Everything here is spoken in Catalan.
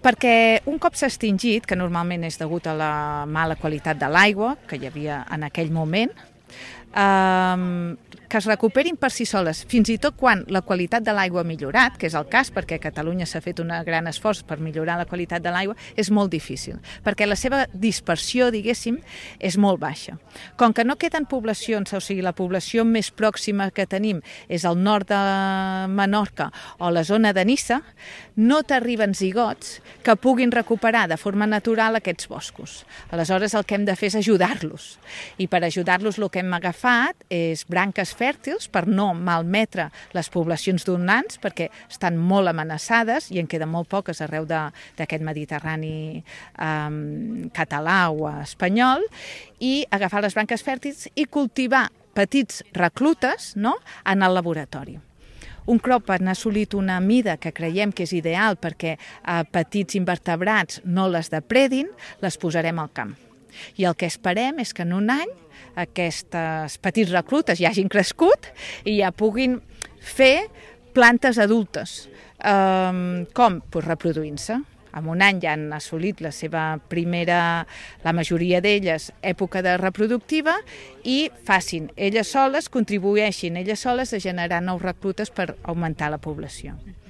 Perquè un cop s'ha extingit, que normalment és degut a la mala qualitat de l'aigua que hi havia en aquell moment, que es recuperin per si soles, fins i tot quan la qualitat de l'aigua ha millorat, que és el cas perquè a Catalunya s'ha fet un gran esforç per millorar la qualitat de l'aigua, és molt difícil, perquè la seva dispersió, diguéssim, és molt baixa. Com que no queden poblacions, o sigui, la població més pròxima que tenim és al nord de Menorca o la zona de Niça, no t'arriben zigots que puguin recuperar de forma natural aquests boscos. Aleshores, el que hem de fer és ajudar-los. I per ajudar-los el que hem agafat és branques fèrtils per no malmetre les poblacions donants, perquè estan molt amenaçades i en queden molt poques arreu d'aquest Mediterrani català o espanyol, i agafar les branques fèrtils i cultivar petits reclutes, no?, en el laboratori. Un cop han assolit una mida que creiem que és ideal perquè petits invertebrats no les depredin, les posarem al camp. I el que esperem és que en un any aquests petits reclutes ja hagin crescut i ja puguin fer plantes adultes. Com? Pues reproduint-se. En un any ja han assolit la seva primera, la majoria d'elles, època de reproductiva, i facin elles soles, contribueixin elles soles a generar nous reclutes per augmentar la població.